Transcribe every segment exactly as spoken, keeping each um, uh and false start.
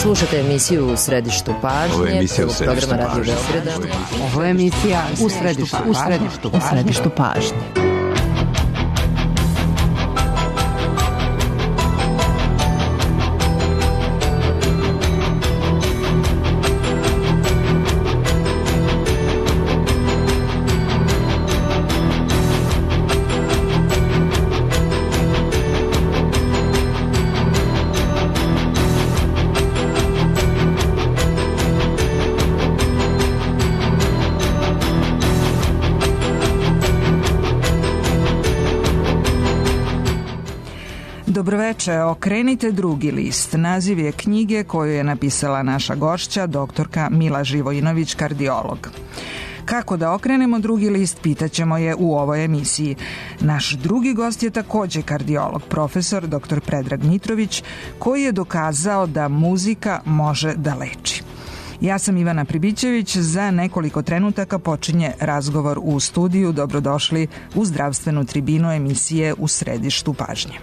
Slušate emisiju U središtu pažnje. Ovo je emisija U središtu pažnje. Ovo je emisija U središtu pažnje. U središtu pažnje. Dobroveče, okrenite drugi list. Naziv je knjige koju je napisala naša gošća, doktorka Mila Živojinović, kardiolog. Kako da okrenemo drugi list, pitaćemo je u ovoj emisiji. Naš drugi gost je takođe kardiolog, profesor doktor Predrag Mitrović, koji je dokazao da muzika može da leči. Ja sam Ivana Pribićević, za nekoliko trenutaka počinje razgovor u studiju. Dobrodošli u zdravstvenu tribinu emisije U središtu pažnje.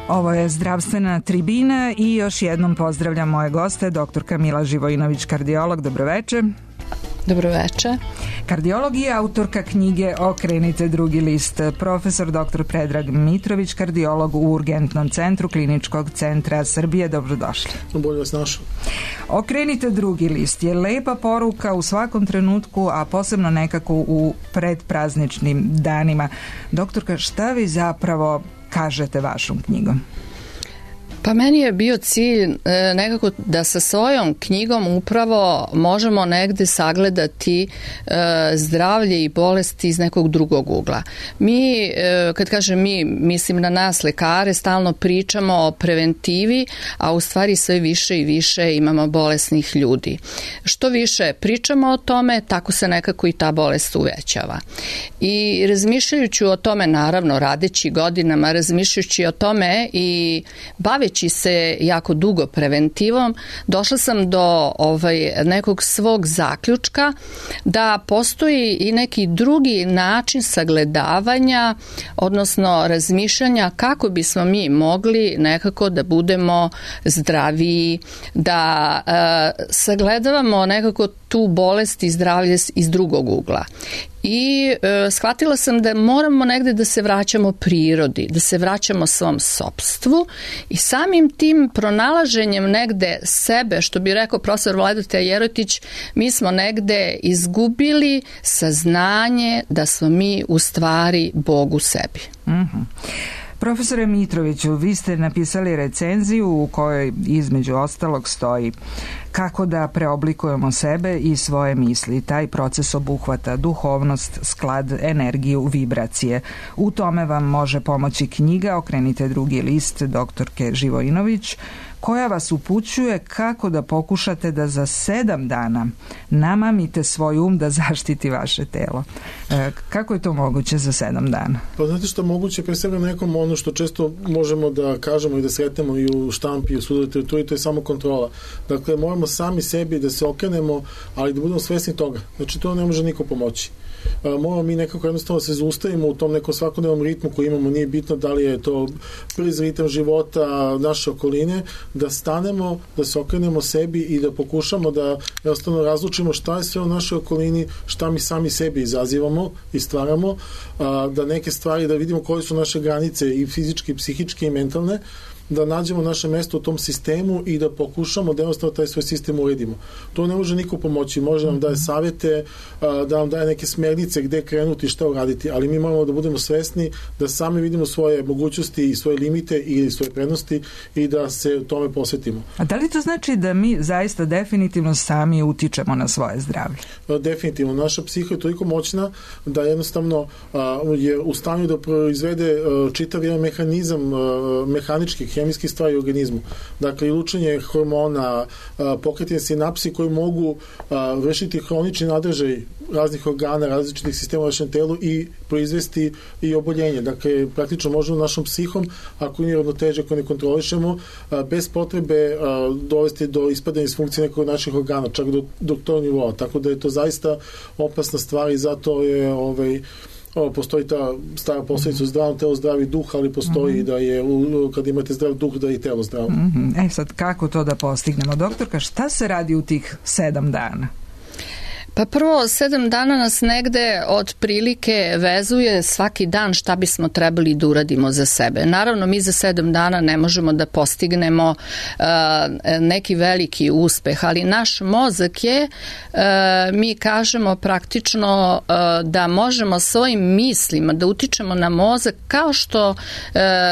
Ovo je zdravstvena tribina i još jednom pozdravljam moje goste, doktorka Mila Živojinović, kardiolog. Dobroveče. Dobroveče. Kardiolog i autorka knjige Okrenite drugi list, profesor doktor Predrag Mitrović, kardiolog u Urgentnom centru Kliničkog centra Srbije. Dobrodošli. Bolje vas našao. Okrenite drugi list je lepa poruka u svakom trenutku, a posebno nekako u predprazničnim danima. Doktorka, šta vi zapravo kažete vašom knjigom? Pa meni je bio cilj e, nekako da sa svojom knjigom upravo možemo negde sagledati e, zdravlje i bolesti iz nekog drugog ugla. Mi, e, kad kažem mi, mislim na nas lekare, stalno pričamo o preventivi, a u stvari sve više i više imamo bolesnih ljudi. Što više pričamo o tome, tako se nekako i ta bolest uvećava. I razmišljajući o tome, naravno, radeći godinama, razmišljajući o tome i bavi se jako dugo preventivom, došla sam do ovaj, nekog svog zaključka da postoji i neki drugi način sagledavanja, odnosno razmišljanja kako bismo mi mogli nekako da budemo zdraviji, da e, sagledavamo nekako tu bolest i zdravlje iz drugog ugla. I e, shvatila sam da moramo negde da se vraćamo prirodi, da se vraćamo svom sopstvu i samim tim pronalaženjem negde sebe, što bi rekao profesor Vladeta Jerotić, mi smo negde izgubili saznanje da smo mi u stvari Bog u sebi. Mhm. Profesore Mitroviću, vi ste napisali recenziju u kojoj između ostalog stoji kako da preoblikujemo sebe i svoje misli. Taj proces obuhvata duhovnost, sklad, energiju, vibracije. U tome vam može pomoći knjiga Okrenite drugi list doktorke Živojinović, koja vas upućuje kako da pokušate da za sedam dana namamite svoj um da zaštiti vaše telo. E, kako je to moguće za sedam dana? Pa znate što moguće, pre svega nekom ono što često možemo da kažemo i da sretnemo i u štampi i u sudovoj literaturi, to je samo kontrola. Dakle, moramo sami sebi da se okrenemo, ali da budemo svesni toga. Znači, to ne može niko pomoći. Moramo mi nekako jednostavno se zaustavimo u tom nekom svakodnevnom ritmu koji imamo, nije bitno da li je to brz ritam života naše okoline, da stanemo, da se okrenemo sebi i da pokušamo da jednostavno razlučimo šta je sve u našoj okolini, šta mi sami sebi izazivamo i stvaramo, da neke stvari, da vidimo koje su naše granice i fizičke, i psihičke i mentalne, da nađemo naše mesto u tom sistemu i da pokušamo da jednostavno taj svoj sistem uredimo. To ne može niko pomoći, može nam daje savjete, da nam daje neke smernice gde krenuti, šta uraditi, ali mi moramo da budemo svesni da sami vidimo svoje mogućnosti i svoje limite ili svoje prednosti i da se tome posvetimo. A da li to znači da mi zaista definitivno sami utičemo na svoje zdravlje? Definitivno. Naša psiha je toliko moćna da jednostavno je u stanju da proizvede čitav jedan mehanizam mehaničkih, hemijskih stvari u organizmu. Dakle, i lučenje hormona, pokretanje sinapsi koji mogu vršiti hronični nadržaj raznih organa, različitih sistema u našem telu i proizvesti i oboljenje. Dakle, praktično možemo našom psihom, ako nije ravnoteže, ako ne kontrolišemo, bez potrebe dovesti do ispadanja iz funkcije nekog naših organa, čak do, do tog nivoa. Tako da je to zaista opasna stvar i zato je ovaj, o, postoji ta stara posljedica u zdravom telu, zdravi duh, ali postoji mm-hmm. da je u, kad imate zdrav duh da je i telo zdravo. Mm-hmm. E sad, kako to da postignemo? Doktorka, šta se radi u tih sedam dana? Pa prvo, sedam dana nas negde otprilike vezuje svaki dan šta bismo trebali da uradimo za sebe. Naravno, mi za sedam dana ne možemo da postignemo uh, neki veliki uspeh, ali naš mozak je, uh, mi kažemo praktično uh, da možemo svojim mislima da utičemo na mozak kao što uh,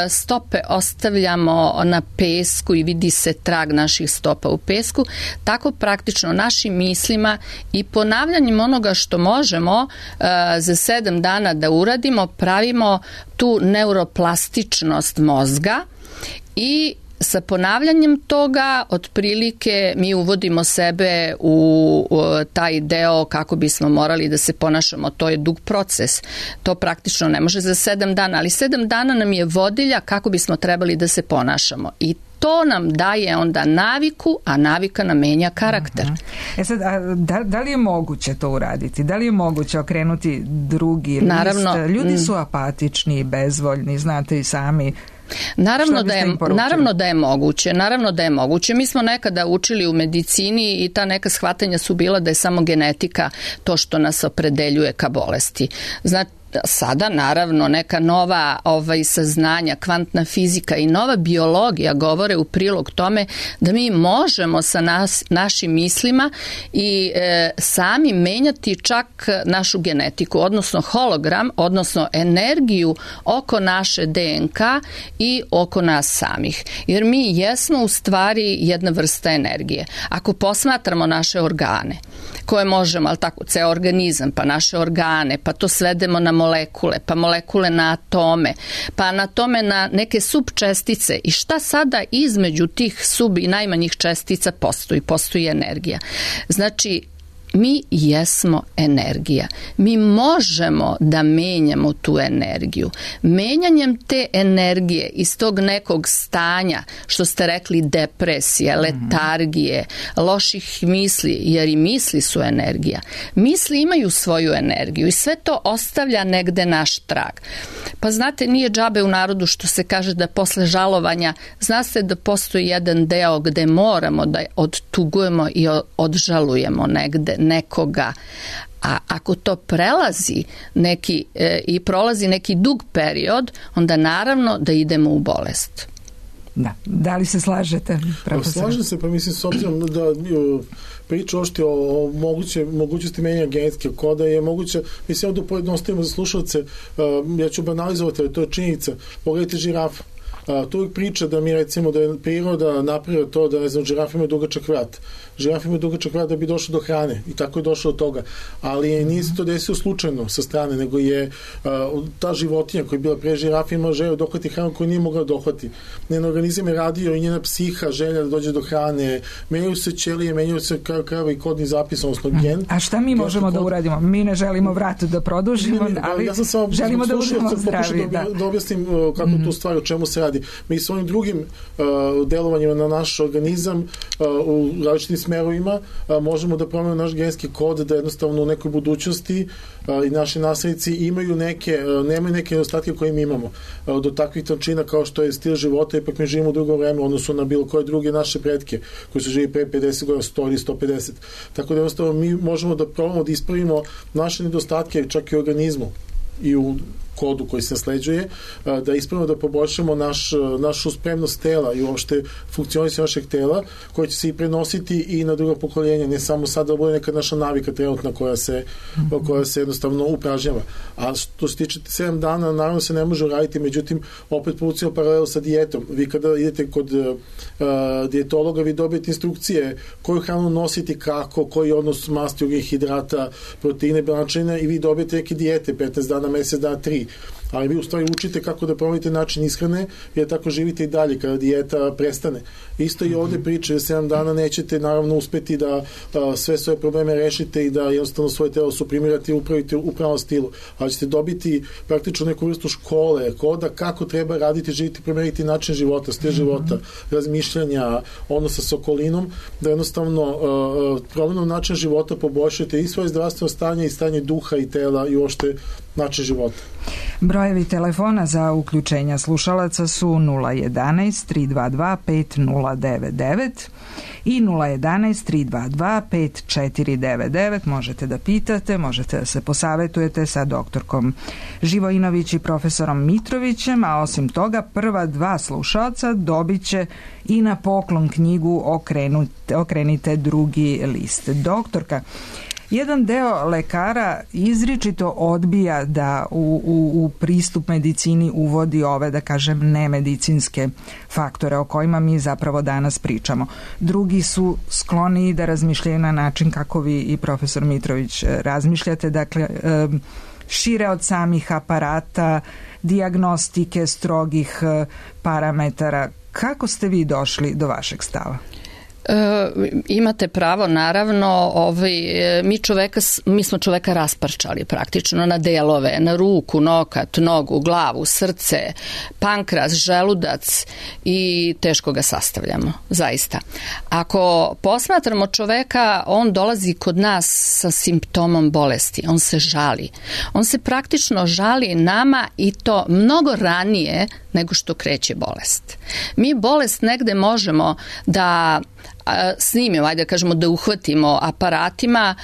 stope ostavljamo na pesku i vidi se trag naših stopa u pesku, tako praktično našim mislima i po ponavljanjem onoga što možemo uh, za sedam dana da uradimo, pravimo tu neuroplastičnost mozga i sa ponavljanjem toga otprilike mi uvodimo sebe u, u taj deo kako bismo morali da se ponašamo. To je dug proces. To praktično ne može za sedam dana, ali sedam dana nam je vodilja kako bismo trebali da se ponašamo. I to nam daje onda naviku, a navika nam menja karakter. Uh-huh. E sad, a da, da li je moguće to uraditi? Da li je moguće okrenuti drugi Naravno, list? Ljudi su apatični, bezvoljni, znate i sami. Naravno da, je, naravno da je moguće, naravno da je moguće. Mi smo nekada učili u medicini i ta neka shvatanja su bila da je samo genetika to što nas opredeljuje ka bolesti. Znači, sada naravno neka nova ovaj, saznanja, kvantna fizika i nova biologija govore u prilog tome da mi možemo sa nas, našim mislima i e, sami menjati čak našu genetiku, odnosno hologram, odnosno energiju oko naše D N K i oko nas samih. Jer mi jesmo u stvari jedna vrsta energije. Ako posmatramo naše organe, koje možemo, ali tako, ceo organizam, pa naše organe, pa to svedemo na molekule, pa molekule na atome, pa na tome na neke subčestice i šta sada između tih sub i najmanjih čestica postoji, postoji energija. Znači, mi jesmo energija. Mi možemo da menjamo tu energiju. Menjanjem te energije iz tog nekog stanja, što ste rekli, depresije, letargije, loših misli, jer i misli su energija. Misli imaju svoju energiju i sve to ostavlja negde naš trag. Pa znate, nije džabe u narodu što se kaže da posle žalovanja, zna se da postoji jedan deo gde moramo da odtugujemo i odžalujemo negde nekoga, a ako to prelazi neki e, i prolazi neki dug period, onda naravno da idemo u bolest. Da. Da li se slažete, profesor? Slažem se, pa mislim s obzirom da priča ošti o, o moguće, mogućnosti menjanja genetske koda je moguće, mislim da pojednostavimo za slušalce, uh, ja ću banalizovati, ali to je činjenica. Pogledajte žirafu. Uh, to uvijek priča da mi recimo da je priroda napravila to da, ne znam, žirafa ima dugačak vrat. Žirafa ima dugačak vrat da bi došlo do hrane i tako je došlo do toga. Ali nije se to desilo slučajno sa strane, nego je uh, ta životinja koja je bila pre žirafa ima želju dohvati hranu koju nije mogla dohvati. Njen organizam je radio i njena psiha želja da dođe do hrane. Menjaju se ćelije, menjaju se krava i kodni zapis, odnosno gen. A šta mi možemo kod... da uradimo? Mi ne želimo vrat da produžimo, ne, ne, ali ja sam samo želimo da budemo zdravi. Da, da. da objasnim uh, kako mm-hmm. tu stvar, o čemu se radi. Mi svojim drugim uh, delovanjima na naš organizam uh, u različitim smerovima uh, možemo da promenimo naš genetski kod, da jednostavno u nekoj budućnosti uh, i naši naslednici imaju neke, uh, nemaju neke nedostatke koje mi imamo. Uh, do takvih tančina kao što je stil života, ipak mi živimo u drugo vreme, odnosno na bilo koje druge naše pretke koji su živi pre pedeset godina, sto ili sto pedeset. Tako da jednostavno mi možemo da probamo da ispravimo naše nedostatke čak i u organizmu. i u kodu koji se nasleđuje, da ispravno da poboljšamo naš, našu spremnost tela i uopšte funkcionisanje našeg tela, koje će se i prenositi i na druga pokoljenja, ne samo sada da bude neka naša navika trenutna koja se, koja se jednostavno upražnjava. A što se tiče sedam dana, naravno se ne može uraditi, međutim, opet povucimo paralelu sa dijetom. Vi kada idete kod uh, dijetologa, vi dobijete instrukcije koju hranu nositi, kako, koji odnos masti, ugljnih hidrata, proteine, belančevina i vi dobijete neke dijete, petnaest dana, mesec dana, tri. Ali vi u stvari učite kako da promenite način ishrane, jer tako živite i dalje kada dijeta prestane. Isto i ovde priče, da sedam dana nećete naravno uspeti da a, sve svoje probleme rešite i da jednostavno svoje telo suprimirate i upravite u pravom stilu. Ali ćete dobiti praktično neku vrstu škole, koda kako treba raditi, živiti, promeniti način života, stil života, razmišljanja, odnosa s okolinom, da jednostavno a, promenom način života poboljšate i svoje zdravstveno stanje i stanje duha i tela i uopšte način života. Brojevi telefona za uključenja slušalaca su nula jedanaest tri dva dva pet nula devet devet i nula jedanaest tri dva dva pet četiri devet devet. Možete da pitate, možete da se posavetujete sa doktorkom Živojinović i profesorom Mitrovićem, a osim toga prva dva slušalca dobit će i na poklon knjigu Okrenute, Okrenite drugi list. Doktorka, jedan deo lekara izričito odbija da u, u, u pristup medicini uvodi ove, da kažem, nemedicinske faktore o kojima mi zapravo danas pričamo. Drugi su skloni da razmišljaju na način kako vi i profesor Mitrović razmišljate, dakle šire od samih aparata, dijagnostike, strogih parametara. Kako ste vi došli do vašeg stava? E, imate pravo, naravno, ovaj, mi, čoveka, mi smo čoveka rasparčali praktično na delove, na ruku, nokat, nogu, glavu, srce, pankras, želudac i teško ga sastavljamo, zaista. Ako posmatramo čoveka, on dolazi kod nas sa simptomom bolesti, on se žali. On se praktično žali nama i to mnogo ranije nego što kreće bolest. Mi bolest negde možemo da snimimo, ajde da kažemo da uhvatimo aparatima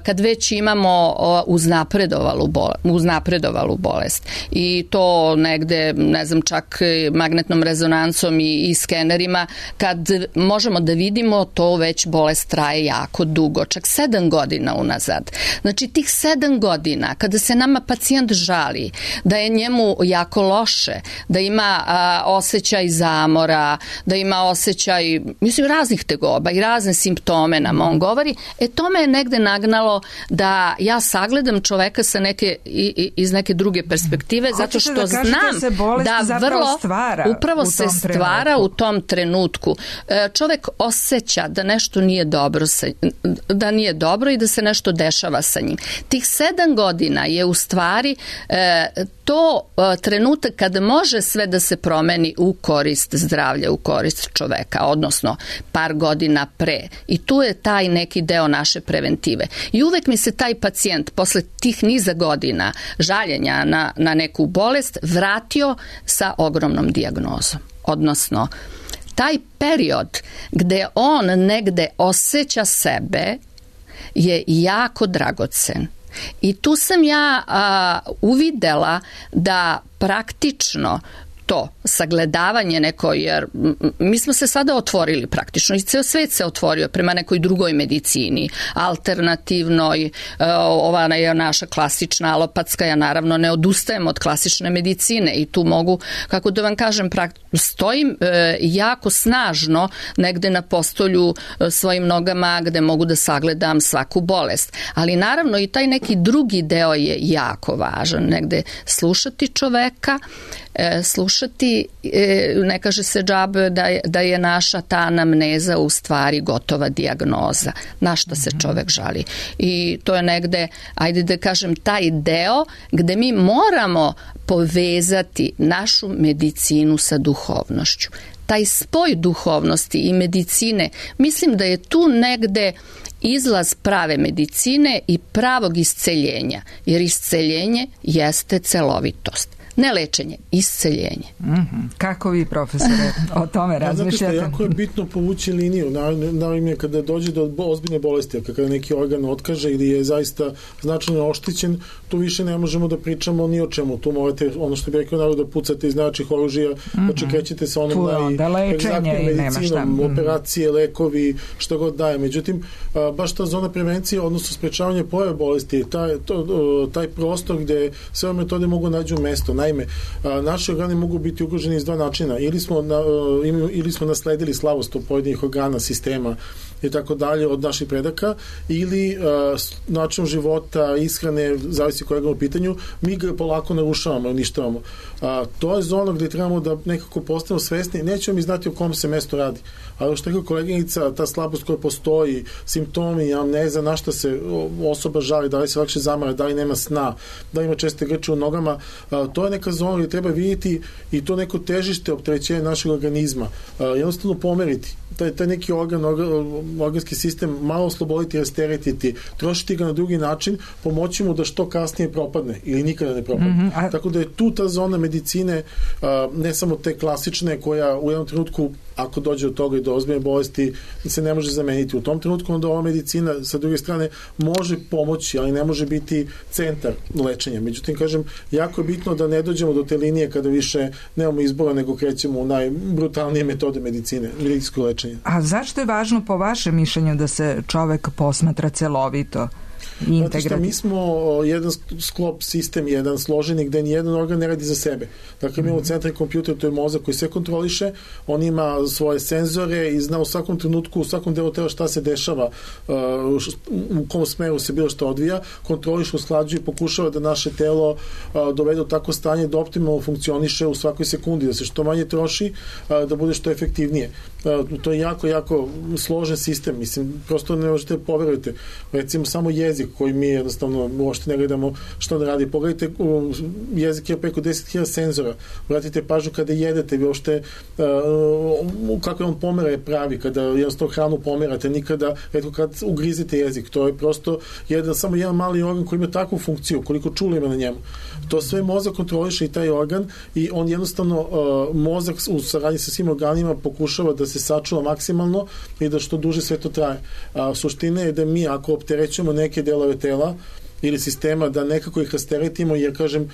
kad već imamo uznapredovalu, bol, uznapredovalu bolest. I to negde, ne znam, čak magnetnom rezonancom i, i skenerima, kad možemo da vidimo, to već bolest traje jako dugo, čak sedam godina unazad. Znači tih sedam godina kada se nama pacijent žali da je njemu jako loše, da ima a, osjećaj zamora, da ima osjećaj, mislim, raznih tegoba i razne simptome nam on govori, e to me je negde nagnalo da ja sagledam čoveka sa neke, i, iz neke druge perspektive, zato što da znam da, da vrlo stvara upravo se stvara trenutku. U tom trenutku. Čovek osjeća da nešto nije dobro, sa, da nije dobro i da se nešto dešava sa njim. Tih sedam godina je u stvari e, to e, trenutak kada može sve da se promeni u korist zdravlja, u korist čoveka, odnosno par godina pre. I tu je taj neki deo naše preventive. I uvek mi se taj pacijent posle tih niza godina žaljenja na, na neku bolest vratio sa ogromnom dijagnozom. Odnosno, taj period gde on negde osjeća sebe je jako dragocen. I tu sam ja a, uvidela da praktično to sagledavanje neko, jer mi smo se sada otvorili praktično i ceo svet se otvorio prema nekoj drugoj medicini, alternativnoj, ova je naša klasična alopatska, ja naravno ne odustajem od klasične medicine i tu mogu, kako da vam kažem, stojim jako snažno negde na postolju svojim nogama gde mogu da sagledam svaku bolest. Ali naravno i taj neki drugi deo je jako važan, negde slušati čoveka, slušati, ne kaže se džabe da je, da je naša ta anamneza u stvari gotova dijagnoza, na šta se čovek žali. I to je negde, ajde da kažem, taj deo gde mi moramo povezati našu medicinu sa duhovnošću. Taj spoj duhovnosti i medicine, mislim da je tu negde izlaz prave medicine i pravog isceljenja, jer isceljenje jeste celovitost. Ne lečenje, isceljenje. Mm-hmm. Kako vi, profesore, o tome razmišljate? Ja, jako je bitno povući liniju. Naime, kada dođe do ozbiljne bolesti, kada neki organ otkaže ili je zaista značajno oštećen, tu više ne možemo da pričamo ni o čemu. Tu morate, ono što bi rekao narod, da pucate iz najjačih oružja, mm-hmm. znači krećete sa onom najegzaktnijim medicinom, operacije, lekovi, što god daje. Međutim, baš ta zona prevencije, odnosno sprečavanje pojave bolesti, taj, to, taj prostor gde sve ove metode mogu nađu mesto. Naime, naši organi mogu biti ugroženi iz dva načina. Ili smo, na, ili smo nasledili slabost od pojedinih organa, sistema i tako dalje od naših predaka, ili način života, ishrane, zavisi kojeg u pitanju, mi ga polako narušavamo, uništavamo. To je zona gde trebamo da nekako postanemo svesni, nećemo mi znati o kom se mesto radi. Ali što je koleginica, ta slabost koja postoji, simptomi, amneza, na šta se osoba žali, da li se lakše zamara, da li nema sna, da li ima česte grče u nogama, to je neka zona gde treba vidjeti i to neko težište opterećenja našeg organizma. Jednostavno pomeriti. Taj, taj neki organ, organski sistem malo osloboditi, rasteretiti, trošiti ga na drugi način, pomoći mu da što kasnije propadne ili nikada ne propadne. Mm-hmm. A... Tako da je tu ta zona medicine, ne samo te klasične, koja u jednom trenutku, ako dođe od toga i do ozbiljne bolesti, se ne može zameniti. U tom trenutku onda ova medicina sa druge strane može pomoći, ali ne može biti centar lečenja. Međutim, kažem, jako je bitno da ne dođemo do te linije kada više nemamo izbora, nego krećemo u najbrutalnije metode medicine, medicinsko lečenje. A zašto je važno po vašem mišljenju da se čovek posmatra celovito? Zato što mi smo jedan sklop sistem, jedan složeni gde nijedan organ ne radi za sebe. Dakle, mi imamo centralni kompjuter, to je mozak koji sve kontroliše, on ima svoje senzore i zna u svakom trenutku, u svakom delu tela šta se dešava, u kom smeru se bilo što odvija, kontroliše, usklađuje i pokušava da naše telo dovede u tako stanje da optimalno funkcioniše u svakoj sekundi, da se što manje troši, da bude što efektivnije. To je jako, jako složen sistem, mislim, prosto ne možete poverujete. Recimo, samo jezik koji mi jednostavno uopšte ne gledamo što da radi. Pogledajte, jezik je preko deset hiljada senzora. Vratite pažnju kada jedete, vi uopšte uh, kako on pomera je pravi, kada jednostavno hranu pomerate, nikada, eto kad ugrizete jezik, to je prosto jedan, samo jedan mali organ koji ima takvu funkciju, koliko čula ima na njemu. To sve mozak kontroliše i taj organ i on jednostavno, uh, mozak u saradnji sa svim organima pokušava da se sačuva maksimalno i da što duže sve to traje. A suština je da mi, ako opterećujemo neke delove tela ili sistema, da nekako ih rasteretimo, jer kažem,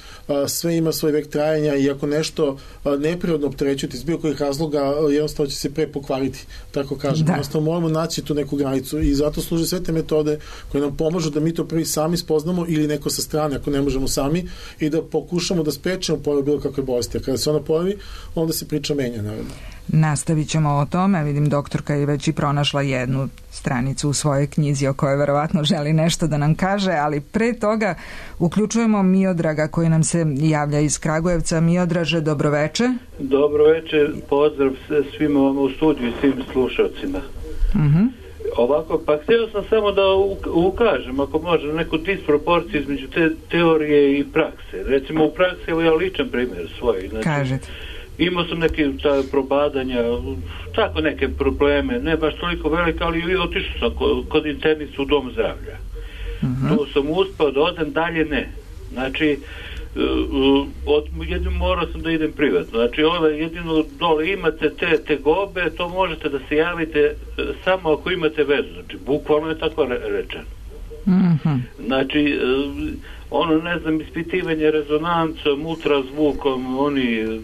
sve ima svoj vek trajanja i ako nešto neprirodno opterećujete iz bilo kojih razloga, jednostavno će se pre pokvariti, tako kažem. Da. Jednostavno moramo naći tu neku granicu i zato služe sve te metode koje nam pomažu da mi to prvi sami spoznamo ili neko sa strane ako ne možemo sami i da pokušamo da sprečimo pojavu bilo kakve bolesti. A kada se ona pojavi, onda se priča menja, naravno. Nastavit ćemo o tome. Vidim, doktorka je već i pronašla jednu stranicu u svojoj knjizi o kojoj verovatno želi nešto da nam kaže, ali pre toga uključujemo Miodraga koji nam se javlja iz Kragujevca. Miodraže, dobroveče. Dobroveče, pozdrav svima u studiju i svim slušalcima. Uh-huh. Ovako, pa htio sam samo da ukažem, ako može, neku disproporciju između te teorije i prakse. Recimo u praksi, evo ja ličan primjer svoj. Znači, kažete. Imao sam neke ta, probadanja, tako neke probleme, ne baš toliko velike, ali otišao sam kod, kod internicu u dom zdravlja. Uh-huh. Tu sam uspao da odem, dalje ne. Znači, od, jedino morao sam da idem privatno. Znači, ove, jedino dole imate te tegobe, to možete da se javite samo ako imate vezu. Znači, bukvalno je tako rečeno. Uh-huh. Znači, ono, ne znam, ispitivanje rezonancom, ultrazvukom, oni...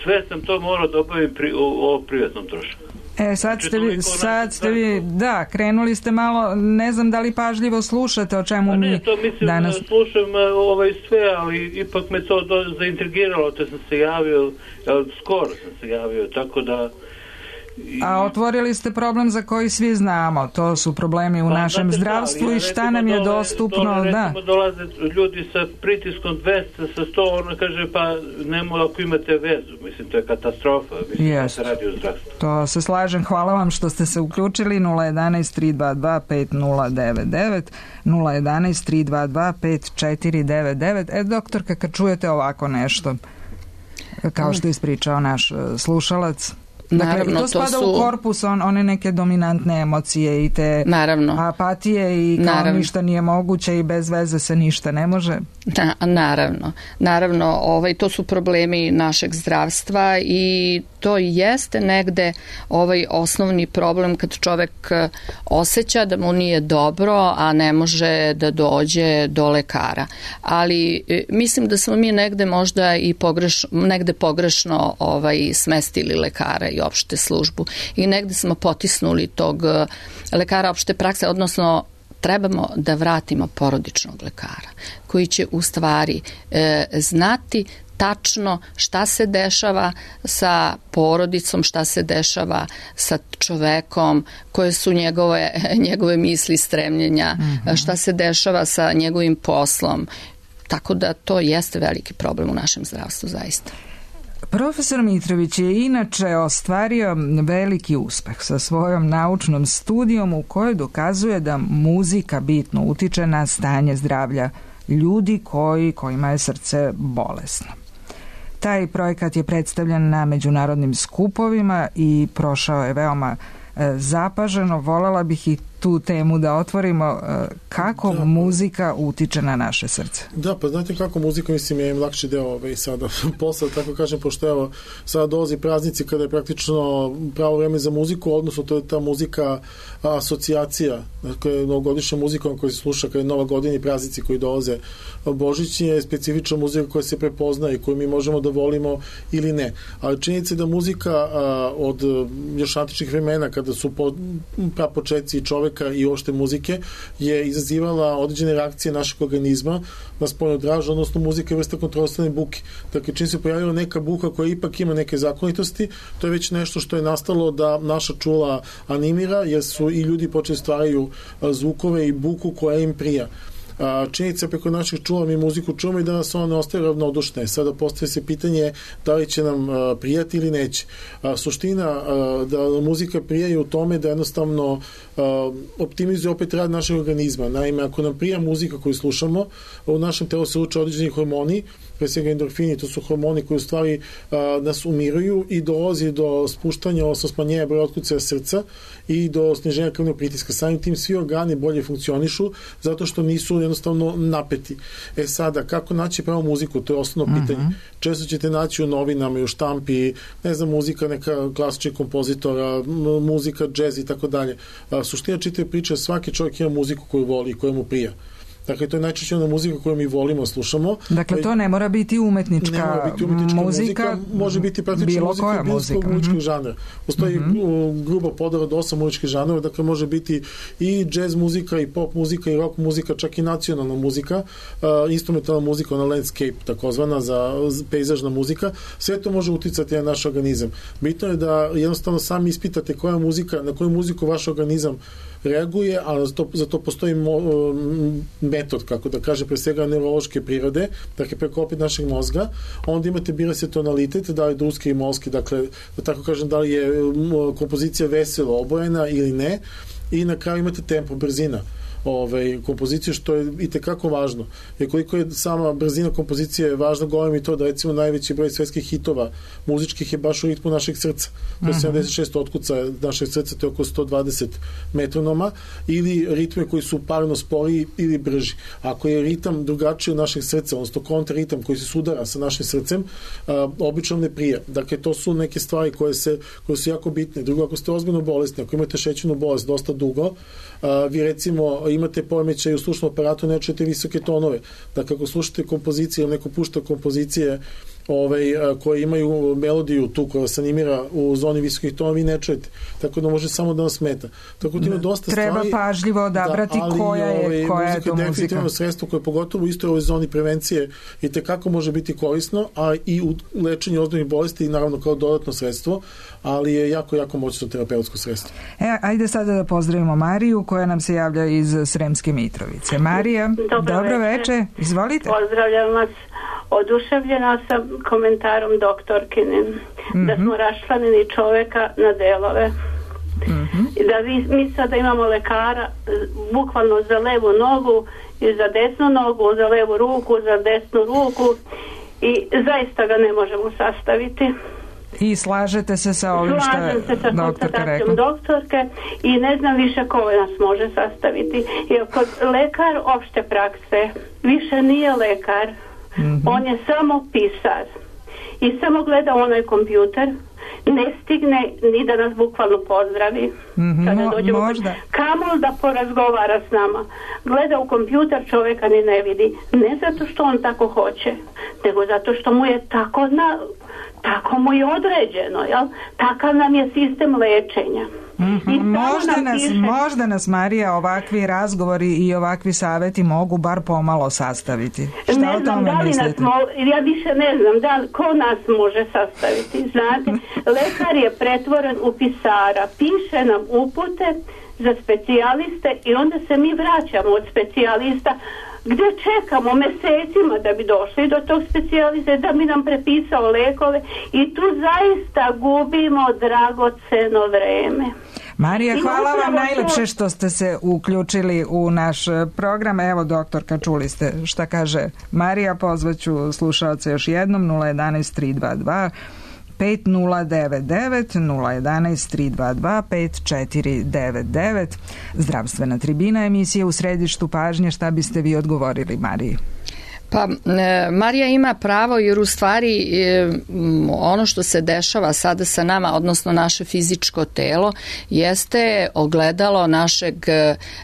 Sve sam to morao da obavim pri, o, o privatnom trošku. E, sad ste vi, sad ste vi, da, krenuli ste malo, ne znam da li pažljivo slušate o čemu mi danas... Ne, to mislim danas... da slušam ovaj sve, ali ipak me to do, zaintrigiralo, te sam se javio, skoro sam se javio, tako da... I... A otvorili ste problem za koji svi znamo, to su problemi u pa, našem zdravstvu i šta nam je dole, dostupno, dole, da. Recimo dolaze ljudi sa pritiskom dvesta, sa sto, ono kaže pa nemo ako imate vezu, mislim to je katastrofa, mislim da se radi o zdravstvu. To se slažem, hvala vam što ste se uključili. Nula jedanaest tri dva dva pet nula devet devet, nula jedanaest tri dva dva pet četiri devet devet. E, doktorka, kad čujete ovako nešto, kao što je ispričao naš slušalac, Naravno, dakle, to spada to su... u korpus on, one neke dominantne emocije i te Naravno. apatije i kao Naravno. ništa nije moguće i bez veze se ništa ne može. Na, naravno. Naravno, ovaj, to su problemi našeg zdravstva i to jeste negde ovaj osnovni problem kad čovek osjeća da mu nije dobro, a ne može da dođe do lekara. Ali mislim da smo mi negde možda i pogreš, negde pogrešno ovaj, smestili lekara i opšte službu i negde smo potisnuli tog lekara opšte prakse, odnosno trebamo da vratimo porodičnog lekara koji će u stvari e, znati tačno šta se dešava sa porodicom, šta se dešava sa čovekom, koje su njegove, njegove misli, stremljenja, mm-hmm. šta se dešava sa njegovim poslom. Tako da to jeste veliki problem u našem zdravstvu, zaista. Profesor Mitrović je inače ostvario veliki uspeh sa svojom naučnom studijom u kojoj dokazuje da muzika bitno utiče na stanje zdravlja ljudi koji, kojima je srce bolesno. Taj projekat je predstavljen na međunarodnim skupovima i prošao je veoma e, zapaženo. Voljela bih i tu temu da otvorimo, e, kako da, muzika utiče na naše srce. Da, pa znate kako muzika, mislim, je im lakši deo ovaj, sada posla, tako kažem, pošto evo, sada dolazi praznici kada je praktično pravo vreme za muziku, odnosno to je ta muzika asocijacija, dakle, novogodišnja muzika koja se sluša kada je Nova godina i praznici koji dolaze. Božić je specifična muzika koja se prepozna i koju mi možemo da volimo ili ne. Ali činjenica je da muzika a, od još antičnih vremena, kada su po, prapočetci čoveka i ošte muzike, je izazivala određene reakcije našeg organizma na spoljnu dražu, odnosno muzika je vrsta kontrolisane buke. Dakle, čim se pojavila neka buka koja ipak ima neke zakonitosti, to je već nešto što je nastalo da naša čula animira, jer su i ljudi počeli stvaraju zvukove i buku koja im prija. Činjenica preko naših čula mi muziku čujemo i da nas ona ne ostaje ravnodušne. Sada postoje se pitanje da li će nam prijati ili neće. Suština da muzika prija u tome da jednostavno optimizuje opet rad našeg organizma. Naime, ako nam prija muzika koju slušamo, u našem telu se uče određeni hormoni, pre svega endorfini, to su hormoni koji u stvari a, nas umiruju i dolazi do spuštanja, odnosno smanjenja broja otkucaja srca i do sniženja krvnog pritiska. Samim tim svi organi bolje funkcionišu zato što nisu jednostavno napeti. E sada, kako naći pravo muziku? To je osnovno pitanje. Uh-huh. Često ćete naći u novinama i u štampi, ne znam, muzika neka klasičnih kompozitora, muzika, džez i tako dalje. Suština čitave priče, svaki čovjek ima muziku koju voli i koja mu prija. Dakle, to je najčešće ona muzika koju mi volimo, slušamo. Dakle, to ne mora biti umetnička, ne mora biti umetnička muzika, muzika, može biti praktično muzika bilo kog muzičkog mm-hmm. žanra. Postoji mm-hmm. gruba podela od osam muzičkih žanrova, dakle može biti i džez muzika, i pop muzika, i rock muzika, čak i nacionalna muzika, uh, instrumentalna muzika, ona landscape, takozvana, za pejzažna muzika. Sve to može uticati na naš organizam. Bitno je da jednostavno sami ispitate koja muzika, na koju muziku vaš organizam reaguje, a za to, za to postoji mo, metod, kako da kaže, pre svega neurološke prirode, dakle preko opet našeg mozga. Onda imate, bira se tonalitet, da li je druski i molski, dakle, da tako kažem, da li je kompozicija veselo obojena ili ne, i na kraju imate tempo, brzina Ove, kompozicije, što je i tekako važno. Jer koliko je sama brzina kompozicije važna, govorim i to da recimo najveći broj svetskih hitova muzičkih je baš u ritmu našeg srca. To je sedamdeset šest otkuca našeg srca, to je oko sto dvadeset metronoma, ili ritme koji su parno sporiji ili brži. Ako je ritam drugačiji od našeg srca, odnosno kontraritam koji se sudara sa našim srcem, a, obično ne prija. Dakle, to su neke stvari koje, se, koje su jako bitne. Drugo, ako ste ozbiljno bolesni, ako imate šećernu bolest dosta dugo, a, vi recimo imate poremećaj u slušnom aparatu, ne čujete visoke tonove. Dakle, ako slušate kompozicije ili neko pušta kompozicije ovaj, koje imaju melodiju tu koja se animira u zoni visokih tonova, vi ne čujete. Tako da može samo da vas smeta. Tako da ima dosta Treba stvari. Treba pažljivo odabrati da, ali, koja je, ovaj, koja je to muzika. Definitivno sredstvo koje pogotovo u istoj ovoj zoni prevencije i tekako može biti korisno, a i u lečenju ozbiljnih bolesti i naravno kao dodatno sredstvo, ali je jako, jako moćno terapeutsko sredstvo. E, ajde sada da pozdravimo Mariju koja nam se javlja iz Sremske Mitrovice. Marija, dobro, dobro veče. Izvolite. Pozdravljam vas. Oduševljena sam komentarom doktorkine, mm-hmm. da smo raščlanili čoveka na delove. Mm-hmm. I da vi, mi sada imamo lekara bukvalno za levu nogu i za desnu nogu, za levu ruku, za desnu ruku i zaista ga ne možemo sastaviti. I slažete se sa ovim što je doktorka rekla? Doktorke i ne znam više ko nas može sastaviti. Jer kod lekar opšte prakse više nije lekar. Mm-hmm. On je samo pisar. I samo gleda onaj kompjuter. Ne stigne ni da nas bukvalno pozdravi. Mm-hmm. Kada dođemo, možda. Kamol da porazgovara s nama. Gleda u kompjuter, čovjeka ni ne vidi. Ne zato što on tako hoće, nego zato što mu je tako na... tako mu je određeno, jel? Takav nam je sistem lečenja. Mm-hmm. Možda, nas, piše... možda nas, Marija, ovakvi razgovori i ovakvi savjeti mogu bar pomalo sastaviti. Šta ne o znam, tome da li mislite? Nas mo... Ja više ne znam da li, ko nas može sastaviti. Znate, lekar je pretvoren u pisara. Piše nam upute za specijaliste i onda se mi vraćamo od specijalista gdje čekamo mesecima da bi došli do tog specijaliste, da bi nam prepisao lekove i tu zaista gubimo dragoceno vreme. Marija, hvala vam najlepše što ste se uključili u naš program. Evo, doktorka, čuli ste šta kaže Marija. Pozvaću slušaoce još jednom nula jedanaest tri dva dva pet nula devet devet, nula jedanaest tri dva dva pet četiri devet devet. Zdravstvena tribina, emisije u središtu pažnje. Šta biste vi odgovorili Mariji? Pa e, Marija ima pravo jer u stvari e, ono što se dešava sada sa nama, odnosno naše fizičko telo, jeste ogledalo našeg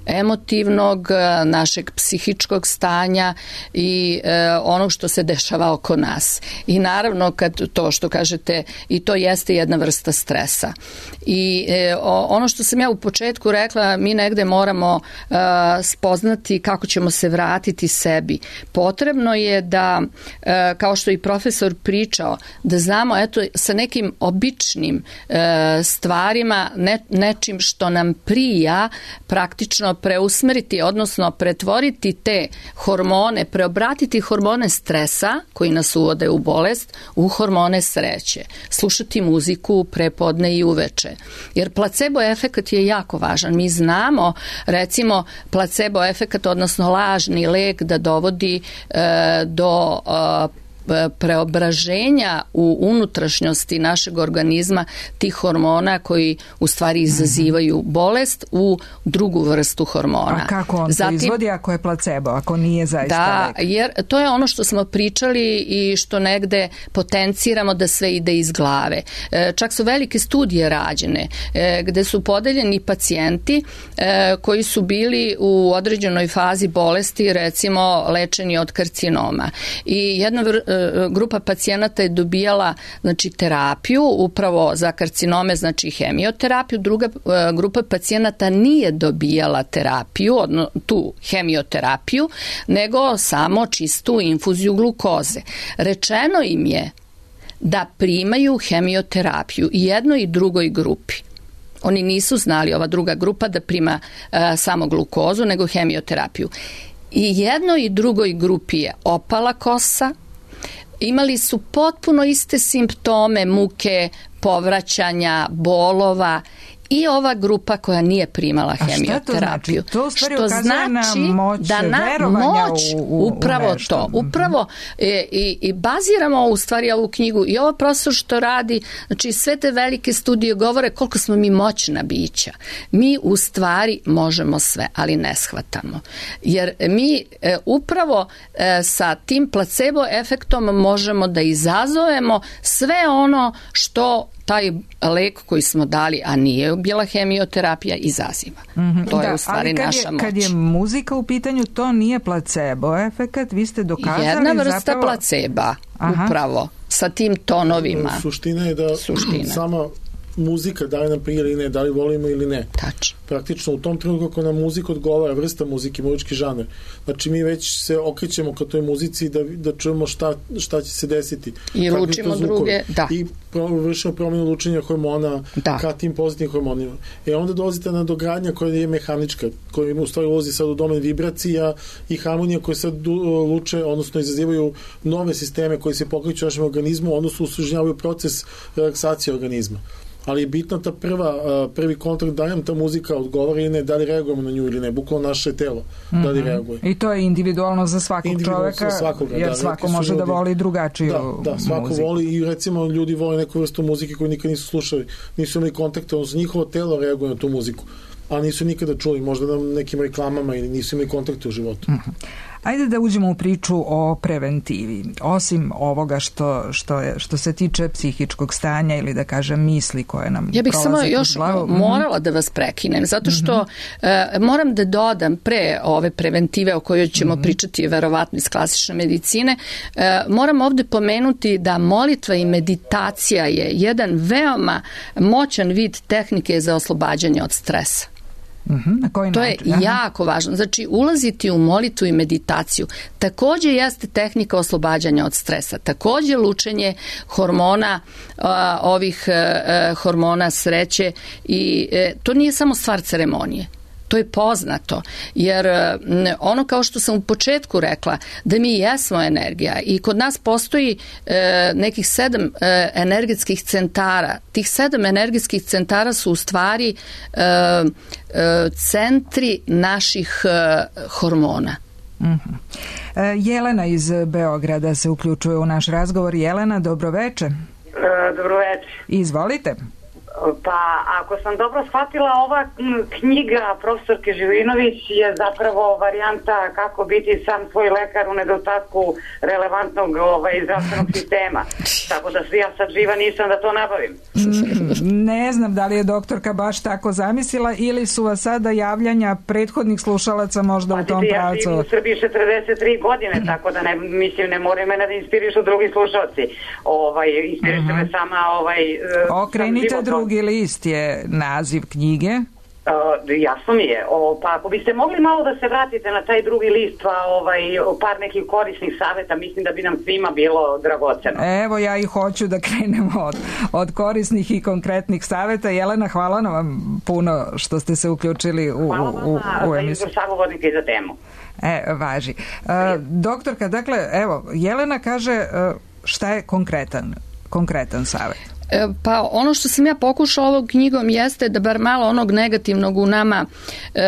emotivnog, našeg psihičkog stanja i e, onog što se dešava oko nas. I naravno kad to što kažete, i to jeste jedna vrsta stresa. I e, ono što sam ja u početku rekla, mi negde moramo e, spoznati kako ćemo se vratiti sebi. Potrebno je da, kao što i profesor pričao, da znamo eto sa nekim običnim stvarima, ne, nečim što nam prija, praktično preusmeriti, odnosno pretvoriti te hormone, preobratiti hormone stresa koji nas uvode u bolest u hormone sreće. Slušati muziku prepodne i uveče. Jer placebo efekat je jako važan. Mi znamo, recimo, placebo efekat, odnosno lažni lek da dovodi do preobraženja u unutrašnjosti našeg organizma tih hormona koji u stvari izazivaju bolest u drugu vrstu hormona. A kako on Zatim, to izvodi ako je placebo, ako nije zaista da, lek? Jer to je ono što smo pričali i što negde potenciramo da sve ide iz glave. Čak su velike studije rađene gde su podeljeni pacijenti koji su bili u određenoj fazi bolesti, recimo lečeni od karcinoma. I jedna vr- grupa pacijenata je dobijala znači terapiju upravo za karcinome, znači hemioterapiju, druga grupa pacijenata nije dobijala terapiju, odno, tu hemioterapiju, nego samo čistu infuziju glukoze. Rečeno im je da primaju hemioterapiju i jednoj i drugoj grupi. Oni nisu znali, ova druga grupa, da prima uh, samo glukozu, nego hemioterapiju. I jednoj i drugoj grupi je opala kosa, imali su potpuno iste simptome, muke, povraćanja, bolova, i ova grupa koja nije primala hemioterapiju. To znači? To što znači moć, da na moć u, u, upravo u to. Upravo e, i, i baziramo u stvari ovu knjigu i ovo profesor što radi, znači sve te velike studije govore koliko smo mi moćna bića. Mi u stvari možemo sve, ali ne shvatamo. Jer mi e, upravo e, sa tim placebo efektom možemo da izazovemo sve ono što taj lek koji smo dali, a nije bila hemioterapija, izaziva. Mm-hmm. To da, je u stvari kad naša je, moć. Kad je muzika u pitanju, to nije placebo efekat, vi ste dokazali jedna vrsta zapravo... placeba, Aha. upravo, sa tim tonovima. Suština je da Suština. sama muzika da li nam prije ili ne, da li volimo ili ne. Tačno. Praktično u tom trenutku ako nam muzika odgovara, vrsta muzike, muzički žaner, znači mi već se okrećemo ka toj muzici da, da čujemo šta, šta će se desiti. I lučimo druge, da. I vršimo promjenu lučenja hormona da. ka tim pozitivnim hormonima. E onda dolazite na dogradnja koja je mehanička, koja u stvari ulazi sad u domen vibracija i harmonija koje sad luče, odnosno izazivaju nove sisteme koji se pokreću u našem organizmu, odnosno usužnjavaju proces relaksacije organizma. ali je bitna ta prva, prvi kontakt da nam ta muzika odgovara ili ne, da li reagujemo na nju ili ne, bukvalno naše telo, mm-hmm. da li reaguje. I to je individualno za svakog individualno čoveka, svakoga, jer da, svako može ljudi, da voli drugačiju da, da, svako muziku. Voli i recimo ljudi vole neku vrstu muzike koju nikad nisu slušali, nisu imali kontakta, odnosno njihovo telo reaguje na tu muziku, a nisu nikada čuli, možda na nekim reklamama ili nisu imali kontakte u životu. Mm-hmm. Ajde da uđemo u priču o preventivi. Osim ovoga što, što, je, što se tiče psihičkog stanja ili da kažem misli koje nam ja bih samo još glavu. morala da vas prekinem, zato što mm-hmm. uh, moram da dodam pre ove preventive o kojoj ćemo mm-hmm. pričati verovatno iz klasične medicine, uh, moram ovde pomenuti da molitva i meditacija je jedan veoma moćan vid tehnike za oslobađanje od stresa. Mm-hmm. Na koji to način? je jako važno. Znači, ulaziti u molitvu i meditaciju takođe jeste tehnika oslobađanja od stresa. Takođe lučenje hormona, a, ovih a, hormona sreće i a, to nije samo stvar ceremonije. To je poznato, jer ono kao što sam u početku rekla, da mi jesmo energija i kod nas postoji e, nekih sedam e, energetskih centara. Tih sedam energetskih centara su u stvari e, e, centri naših e, hormona. Mm-hmm. E, Jelena iz Beograda se uključuje u naš razgovor. Jelena, dobroveče. E, dobroveče. Izvolite. Pa, ako sam dobro shvatila, ova knjiga profesorke Živinović je zapravo varijanta kako biti sam svoj lekar u nedostatku relevantnog ovaj, zdravstvenog sistema. Tako da ja sad živa nisam da to nabavim. Ne znam da li je doktorka baš tako zamislila ili su vas sada javljanja prethodnih slušalaca možda pa, u tom ja pravcu. Ja živim u Srbiji četrdeset tri godine, tako da ne, mislim, ne moraju mene da inspirišu drugi slušalci. Ovaj, inspirišu uh-huh. me sama ovaj, okrenite drugi list je naziv knjige. Uh, jasno mi je. O, pa ako biste mogli malo da se vratite na taj drugi list, pa ovaj, par nekih korisnih saveta, mislim da bi nam svima bilo dragoceno. Evo, ja i hoću da krenemo od, od korisnih i konkretnih saveta. Jelena, hvala na vam puno što ste se uključili u, hvala u, u, u emisiju. Hvala vam za izbor sagovornika i za temu. E, važi. Uh, doktorka, dakle, evo, Jelena kaže uh, šta je konkretan, konkretan savet? Pa ono što sam ja pokušala ovog knjigom jeste da bar malo onog negativnog u nama e,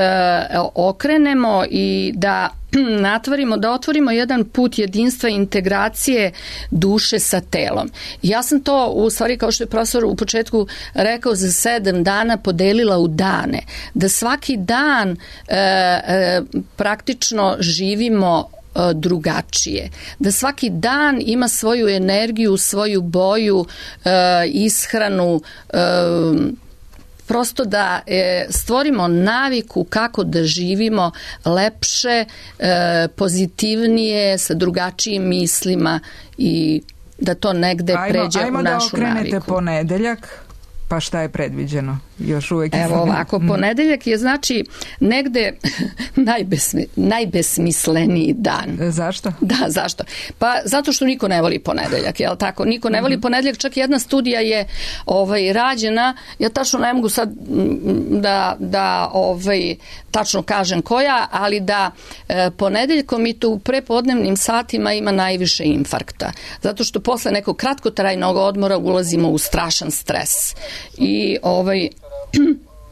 okrenemo i da natvorimo, da otvorimo jedan put jedinstva i integracije duše sa telom. Ja sam to, u stvari, kao što je profesor u početku rekao, za sedam dana podelila u dane. Da svaki dan e, e, praktično živimo drugačije. Da svaki dan ima svoju energiju, svoju boju, e, ishranu, e, prosto da e, stvorimo naviku kako da živimo lepše, e, pozitivnije, sa drugačijim mislima i da to negde ajmo, pređe ajmo u našu naviku. Ajmo da okrenete ponedeljak. Pa šta je predviđeno? Još uvek je... Evo ovako, ponedeljak je znači negde najbesmi, najbesmisleniji dan. Zašto? Da, zašto? Pa zato što niko ne voli ponedeljak, jel tako? Niko ne voli ponedeljak, čak jedna studija je ovaj, rađena, ja tačno ne mogu sad da, da ovaj, tačno kažem koja, ali da e, ponedeljkom i to u prepodnevnim satima ima najviše infarkta. Zato što posle nekog kratkotrajnog odmora ulazimo u strašan stres. I ovaj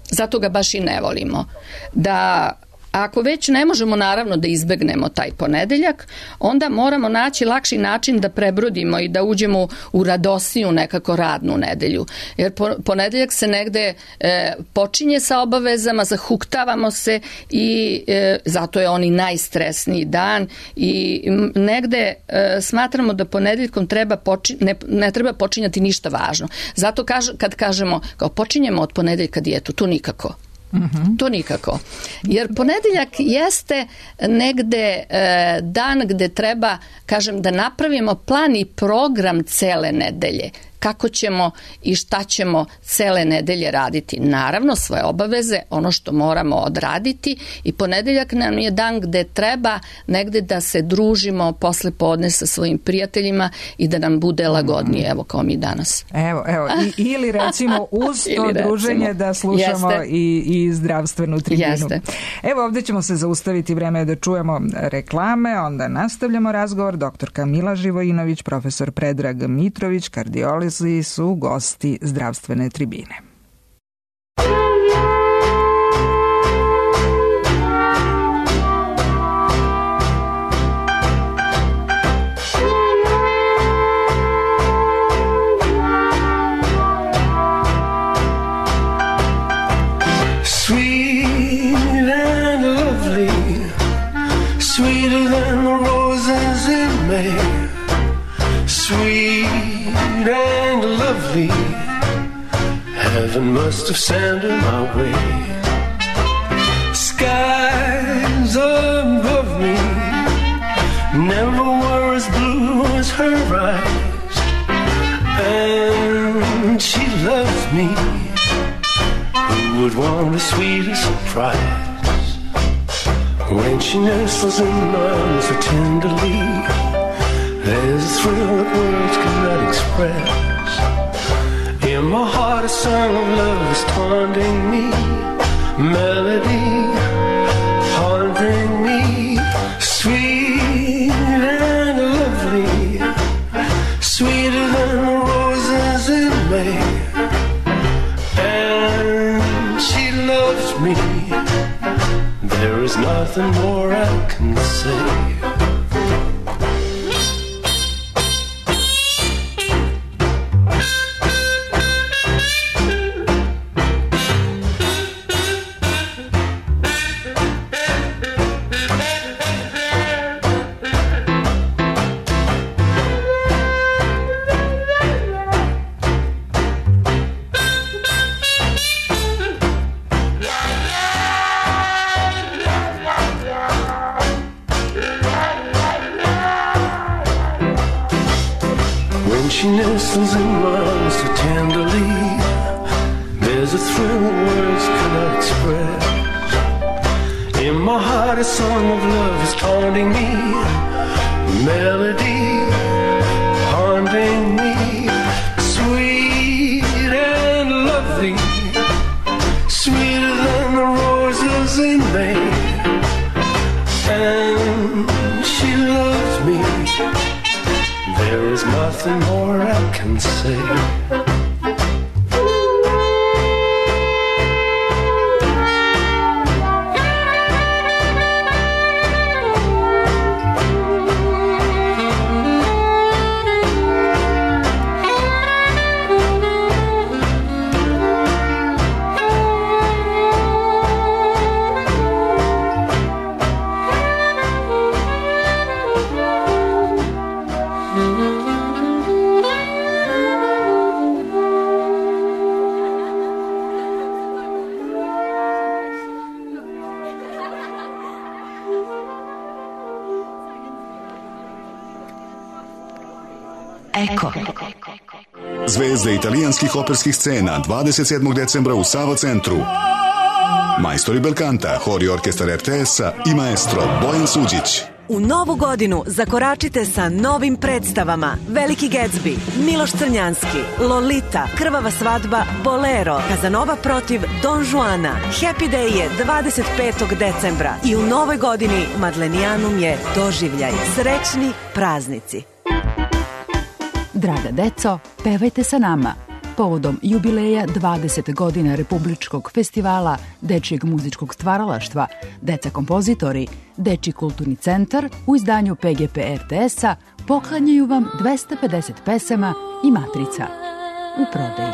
zato ga baš i ne volimo. Da ako već ne možemo naravno da izbegnemo taj ponedeljak, onda moramo naći lakši način da prebrodimo i da uđemo u radosniju nekako radnu nedelju. Jer ponedeljak se negde e, počinje sa obavezama, zahuktavamo se i e, zato je on i najstresniji dan i negde e, smatramo da ponedeljkom treba počin, ne, ne treba počinjati ništa važno. Zato kaž, kad kažemo kao počinjemo od ponedeljka dijetu, to nikako. Mm-hmm. To nikako. Jer ponedeljak jeste negde e, dan gde treba, kažem, da napravimo plan i program cele nedelje. Kako ćemo i šta ćemo cele nedelje raditi. Naravno, svoje obaveze, ono što moramo odraditi i ponedeljak nam je dan gde treba negde da se družimo posle podne sa svojim prijateljima i da nam bude lagodnije, evo kao mi danas. Evo, evo, I, ili recimo uz to recimo, druženje da slušamo i, i zdravstvenu tribinu. Jeste. Evo, ovde ćemo se zaustaviti, vreme je da čujemo reklame, onda nastavljamo razgovor. Doktorka Mila Živojinović, profesor Predrag Mitrović, kardiolog Beatlesi su gosti zdravstvene tribine. Sweeter than the roses in May, sweet and lovely, heaven must have sent her my way. Skies above me never were as blue as her eyes, and she loves me. Who would want a sweeter surprise? When she nestles in my arms so tenderly, there's a thrill that words cannot express. In my heart a song of love is taunting me, melody haunting me. Sweet and lovely, sweeter than the roses in May, and she loves me. There is nothing more I can say. She nestles in my arms so tenderly, there's a thrill that words cannot express. In my heart a song of love is taunting me, melody haunting me. Sweet and lovely, sweeter than the roses in May, and she loves me. There is nothing more I can say. Eko. Zvezde italijanskih operskih scena dvadeset sedmog decembra u Sava centru. Majstori belkanta, hor i orkestar er te es-a i maestro Bojan Suđić. U novu godinu zakoračite sa novim predstavama Veliki Gatsby, Miloš Crnjanski, Lolita, Krvava svadba, Bolero, Kazanova protiv Don Juana. Happy Day je dvadeset petog decembra i u novoj godini Madlenijanum je doživljaj. Srećni praznici. Draga deco, pevajte sa nama. Povodom jubileja dvadeset godina Republičkog festivala dečijeg muzičkog stvaralaštva, Deca kompozitori, Dečiji kulturni centar u izdanju pe ge pe er te es-a poklanjaju vam dvesta pedeset pesama i matrica u prodaji.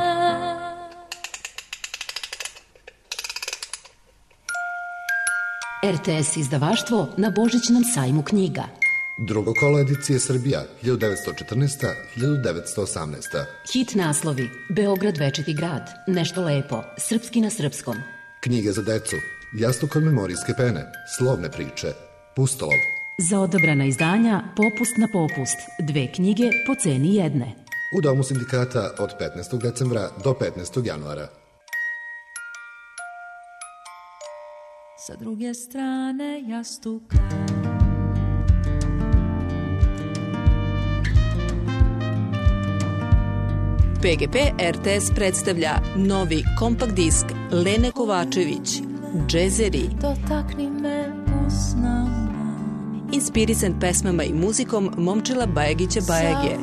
er te es izdavaštvo na Božićnom sajmu knjiga. Drugo kolo edicije Srbija, hiljadu devetsto četrnaesta do hiljadu devetsto osamnaesta. Hit naslovi: Beograd večiti grad, Nešto lepo, Srpski na srpskom. Knjige za decu, Jastuk od memorijske pene, Slovne priče, Pustolov. Za odabrana izdanja Popust na popust, dve knjige po ceni jedne. U Domu sindikata od petnaestog decembra do petnaestog januara. Sa druge strane jastuka pe ge pe er te es predstavlja novi kompakt disk Lene Kovačević, Džezeri. Dotakni me usnama inspirisan pesmama i muzikom Momčila Bajagića Bajage.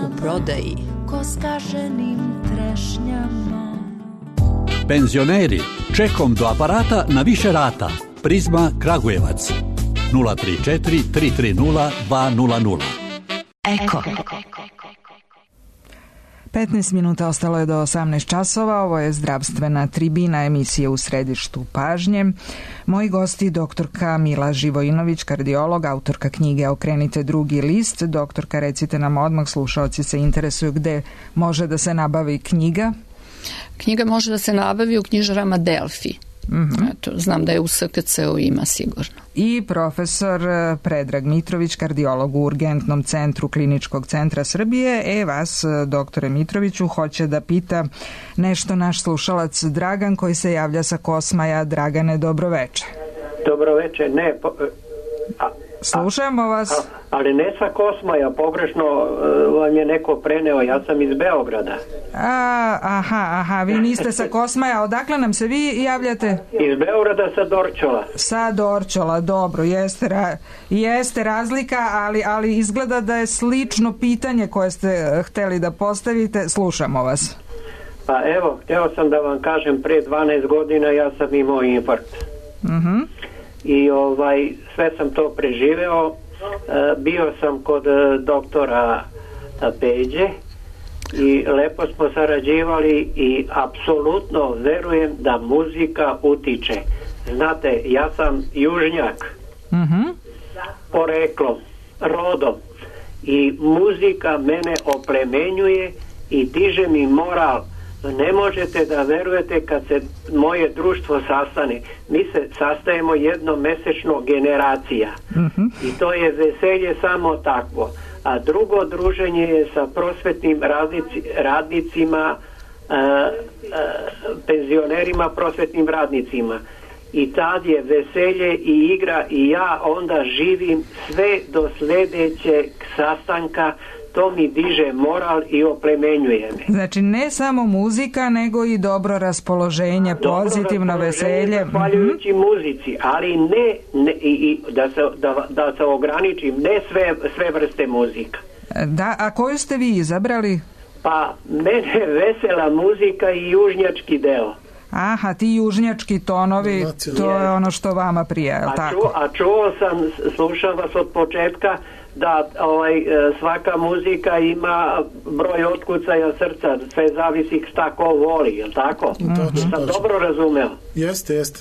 U prodaji. Ko skaženim trešnjama. Penzioneri, čekom do aparata na više rata. Prizma Kragujevac. nula tri četiri tri tri nula dva nula nula. Eko. petnaest minuta ostalo je do osamnaest časova. Ovo je zdravstvena tribina, emisija u središtu pažnje. Moji gosti doktorka Mila Živojinović, kardiolog, autorka knjige Okrenite drugi list. Doktorka, recite nam odmah, slušaoci se interesuju gde može da se nabavi knjiga. Knjiga može da se nabavi u knjižarama Delfi. Mm-hmm. Eto, znam da je u S K C-u ima sigurno. I profesor Predrag Mitrović, kardiolog u Urgentnom centru Kliničkog centra Srbije. E, vas, doktore Mitroviću, hoće da pita nešto naš slušalac Dragan koji se javlja sa Kosmaja. Dragane, dobroveče. Dobroveče, ne... Po, a, Slušamo vas. A, ali ne sa Kosmaja, pogrešno uh, vam je neko preneo, ja sam iz Beograda. A, aha, aha, vi niste sa Kosmaja, odakle nam se vi javljate? Iz Beograda sa Dorčola. Sa Dorčola, dobro, jeste, ra, jeste razlika, ali, ali izgleda da je slično pitanje koje ste hteli da postavite, slušamo vas. Pa evo, hteo sam da vam kažem, pre dvanaest godina ja sam imao infarkt. Mhm. I ovaj, sve sam to preživeo. E, bio sam kod e, doktora Peđe i lepo smo sarađivali i apsolutno verujem da muzika utiče. Znate, ja sam južnjak, mm-hmm. poreklom, rodom, i muzika mene oplemenjuje i diže mi moral. Ne možete da verujete kad se moje društvo sastane. Mi se sastajemo jednomesečno generacija. Mm-hmm. I to je veselje samo takvo. A drugo druženje je sa prosvetnim radnici, radnicima, a, a, penzionerima, prosvetnim radnicima. I tad je veselje i igra i ja onda živim sve do sledećeg sastanka. To mi diže moral i oplemenjuje me. Znači ne samo muzika, nego i dobro raspoloženje, dobro pozitivno raspoloženje, veselje. Zahvaljujući mm-hmm. muzici, ali ne, ne i, i da, se, da, da se ograničim, ne sve, sve vrste muzika. Da, a koju ste vi izabrali? Pa mene vesela muzika i južnjački deo. Aha, ti južnjački tonovi, to je ono što vama prija, a, tako? Ču, a čuo sam, slušam vas od početka, da ovaj, svaka muzika ima broj otkucaja srca, sve zavisi šta ko voli, je li tako? Mm-hmm. Sam dobro razumeo? Jeste, jeste.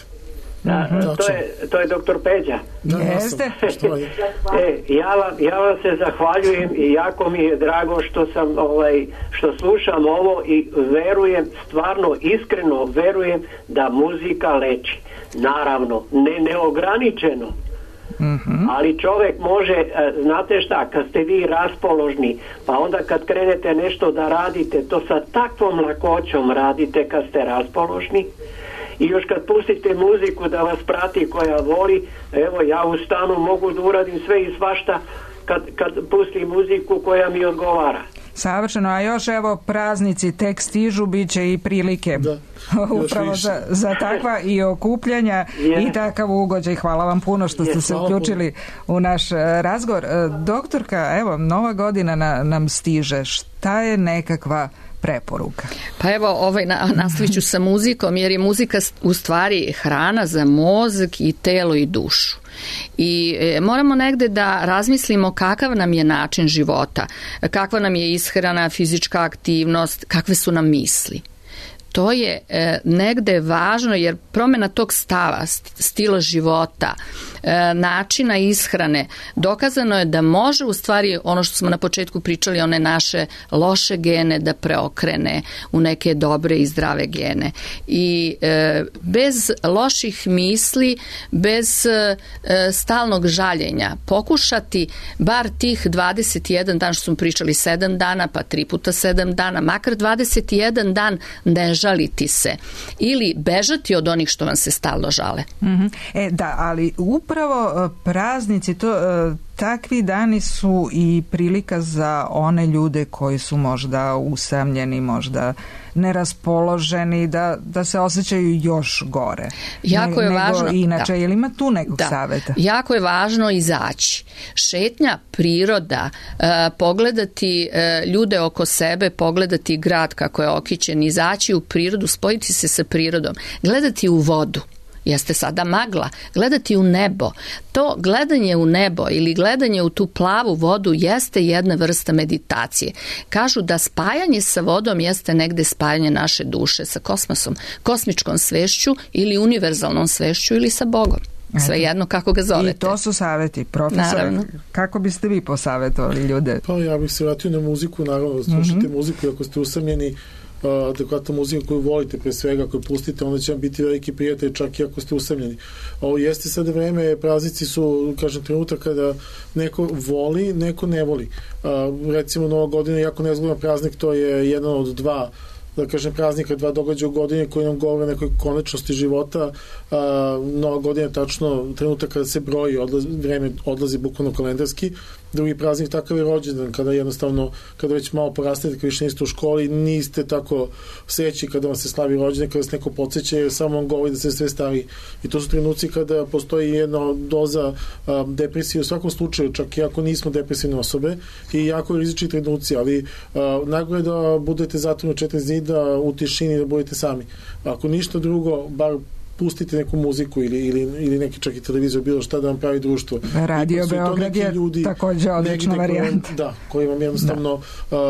Da, mm-hmm. to, je, to je doktor Peđa. Da, jeste. e, ja, vam, ja vam se zahvaljujem i jako mi je drago što sam ovaj, što slušam ovo i verujem, stvarno iskreno verujem da muzika leči. Naravno, ne neograničeno. Mm-hmm. Ali čovjek može, znate šta, kad ste vi raspoložni, pa onda kad krenete nešto da radite, to sa takvom lakoćom radite kad ste raspoložni. I još kad pustite muziku da vas prati koja voli, evo ja u stanu mogu da uradim sve i svašta kad, kad pustim muziku koja mi odgovara. Savršeno, a još evo praznici tek stižu, bit će i prilike da, upravo za, za takva i okupljanja yeah. i takav ugođaj. Hvala vam puno što ste yeah, se uključili puno. u naš razgovor. Doktorka, evo, nova godina na, nam stiže. Šta je nekakva preporuka? Pa evo, ovaj, na, nastavit ću sa muzikom, jer je muzika u stvari hrana za mozak i telo i dušu. I e, moramo negde da razmislimo kakav nam je način života, kakva nam je ishrana, fizička aktivnost, kakve su nam misli. To je e, negde važno, jer promjena tog stava, stila života, e, načina ishrane, dokazano je da može u stvari ono što smo na početku pričali, one naše loše gene da preokrene u neke dobre i zdrave gene. I e, bez loših misli, bez e, stalnog žaljenja, pokušati bar tih dvadeset jedan dan, što smo pričali sedam dana, pa tri puta sedam dana, makar dvadeset jedan dan ne žaliti se ili bežati od onih što vam se stalno žale. Mm-hmm. E, da, ali upravo praznici, to, takvi dani su i prilika za one ljude koji su možda usamljeni, možda neraspoloženi, da, da se osjećaju još gore. Jako je nego važno. Inače, Da. je li ima tu nekog Da. saveta? Jako je važno izaći. Šetnja, priroda, e, pogledati e, ljude oko sebe, pogledati grad kako je okićen, izaći u prirodu, spojiti se sa prirodom, gledati u vodu. Jeste sada magla, gledati u nebo. To gledanje u nebo ili gledanje u tu plavu vodu jeste jedna vrsta meditacije. Kažu da spajanje sa vodom jeste negde spajanje naše duše sa kosmosom, kosmičkom svešću ili univerzalnom svešću ili sa Bogom. Sve jedno kako ga zovete. I to su saveti. Profesor, Naravno. kako biste vi posavetovali ljude? Pa ja bih se vratio na muziku, naravno, slušajte mm-hmm. muziku i ako ste usamljeni, adekvatna muzika koju volite pre svega, koju pustite, onda će vam biti veliki prijatelj čak i ako ste usamljeni. Ovo jeste sada vreme, praznici su, kažem, trenutak kada neko voli, neko ne voli. A, recimo Nova godina je jako nezgodan praznik, to je jedan od dva da kažem praznika, dva događaja u godini koji nam govore o nekoj konečnosti života. A, Nova godina je tačno trenutak kada se broji, odlazi, vreme odlazi bukvalno kalendarski. Drugi praznik takav je rođendan, kada jednostavno, kada već malo porastete, kada više niste u školi, niste tako sreći kada vam se slavi rođendan, kada se neko podsjeća, jer samo vam govori da se sve stavi. I to su trenuci kada postoji jedna doza a, depresije u svakom slučaju, čak i ako nismo depresivne osobe, i jako rizični trenuci, ali najgore da budete zatvoreni u četiri zida u tišini, da budete sami. Ako ništa drugo, bar pustite neku muziku ili, ili, ili neki čak i televizor, bilo šta da vam pravi društvo. Radio Beograd je ljudi, također odlična varijanta. Koji, da, koji vam jednostavno uh,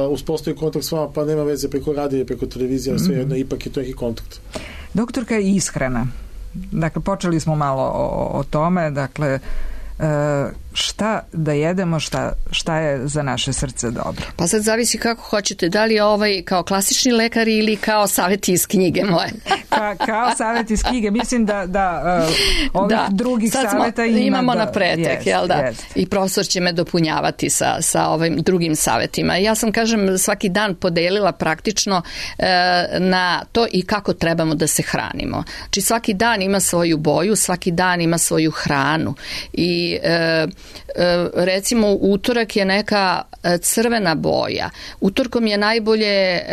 uspostavi kontakt s vama, pa nema veze preko radija, preko televizije, ali sve jedno, mm-hmm. ipak je to neki kontakt. Doktorka, ishrana. Dakle, počeli smo malo o, o tome, dakle, šta da jedemo, šta, šta je za naše srce dobro. Pa sad zavisi kako hoćete, da li je ovaj kao klasični lekar ili kao savjeti iz knjige moje. Ka, kao savjeti iz knjige, mislim da, da uh, ovih da, drugih savjeta ima imamo da, na pretek, jest, jel da? Jest. I profesor će me dopunjavati sa, sa ovim drugim savjetima. Ja sam, kažem, svaki dan podelila praktično e, na to i kako trebamo da se hranimo. Znači svaki dan ima svoju boju, svaki dan ima svoju hranu i E, e, recimo utorak je neka crvena boja. Utorkom je najbolje e,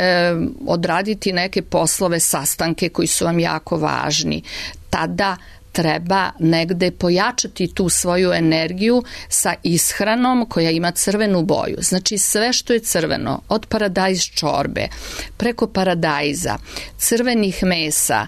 odraditi neke poslove, sastanke koji su vam jako važni. Tada treba negde pojačati tu svoju energiju sa ishranom koja ima crvenu boju. Znači sve što je crveno, od paradajz čorbe, preko paradajza, crvenih mesa,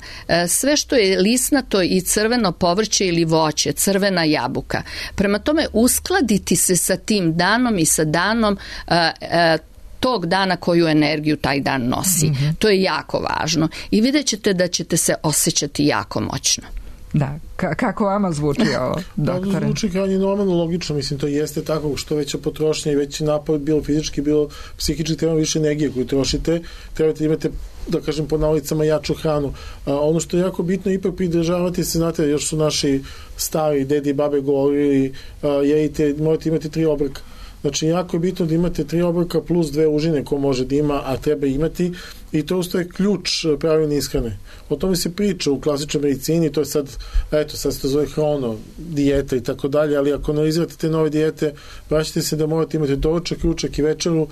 sve što je lisnato i crveno povrće ili voće, crvena jabuka. Prema tome uskladiti se sa tim danom i sa danom uh, uh, tog dana koju energiju taj dan nosi. Mm-hmm. To je jako važno i vidjet ćete da ćete se osjećati jako moćno. Da, K- kako vama zvuči ovo, doktore? Da, zvuči kao je normalno, logično, mislim, to jeste tako, što veća potrošnja i veći napad, bilo fizički, bilo psihički, treba više energije koju trošite, trebate imate, da kažem, po nalicama jaču hranu. A, ono što je jako bitno, ipak pridržavati se, znate, još su naši stari dedi i babe govorili, a, jedite, morate imati tri obroka. Znači, jako je bitno da imate tri obroka plus dve užine ko može da ima, a treba imati, i to ustaje ključ pravilne ishrane. O tome se priča u klasičnoj medicini, to je sad, eto, sad se to zove hrono, dijeta i tako dalje, ali ako analizirate te nove dijete, vraćate se da morate imati doručak, ručak i večeru,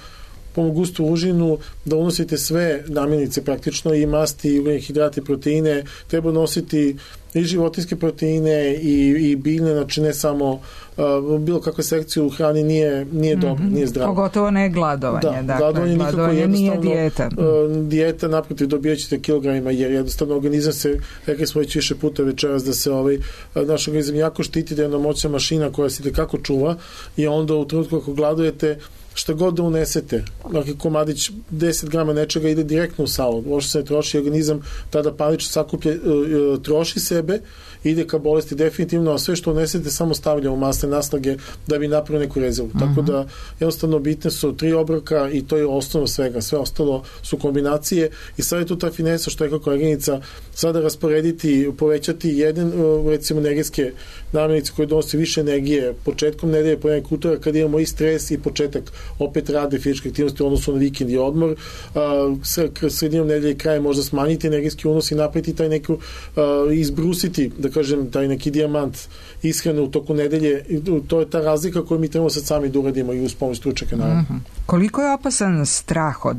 pomogustu užinu, da unosite sve namirnice praktično, i masti, i ugljene hidrate, proteine, treba nositi i životinjske proteine i, i biljne, znači ne samo uh, bilo kakva sekcija u hrani nije, nije dobro, mm-hmm. nije zdravo. Pogotovo ne gladovanje. Da, dakle, gladovanje nikako nije dijeta. Uh, dijeta, naprotiv, dobijat ćete kilogramima, jer jednostavno organizam se, rekli smo već više puta večeras, da se ovaj, naš organizam jako štiti, da je jedna moćna mašina koja se tekako čuva, i onda u trenutku ako gladujete, šta god da unesete, dakle komadić deset grama nečega ide direktno u salu, uopšte se ne troši, organizam tada panično sakuplje, troši sebe, ide ka bolesti definitivno, a sve što unesete samo stavlja u masne naslage da bi napravio neku rezervu. Uh-huh. Tako da jednostavno bitne su tri obroka i to je osnovno svega, sve ostalo su kombinacije, i sad je tu ta finesa što je kao koleginica, sada rasporediti, povećati jedan, recimo energijske namirnice koje donose više energije početkom nedelje, po nekog utora kad imamo i stres i početak opet rade fizičke aktivnosti u odnosu na vikend i odmor, uh, sredinom nedelje i kraje možda smanjiti energijski unos i napraviti taj neku, uh, izbrusiti, da kažem, taj neki dijamant ishrane u toku nedelje. To je ta razlika koju mi trebamo sad sami da uradimo i uz pomoć stručnjaka, naravno. Mm-hmm. Koliko je opasan strah od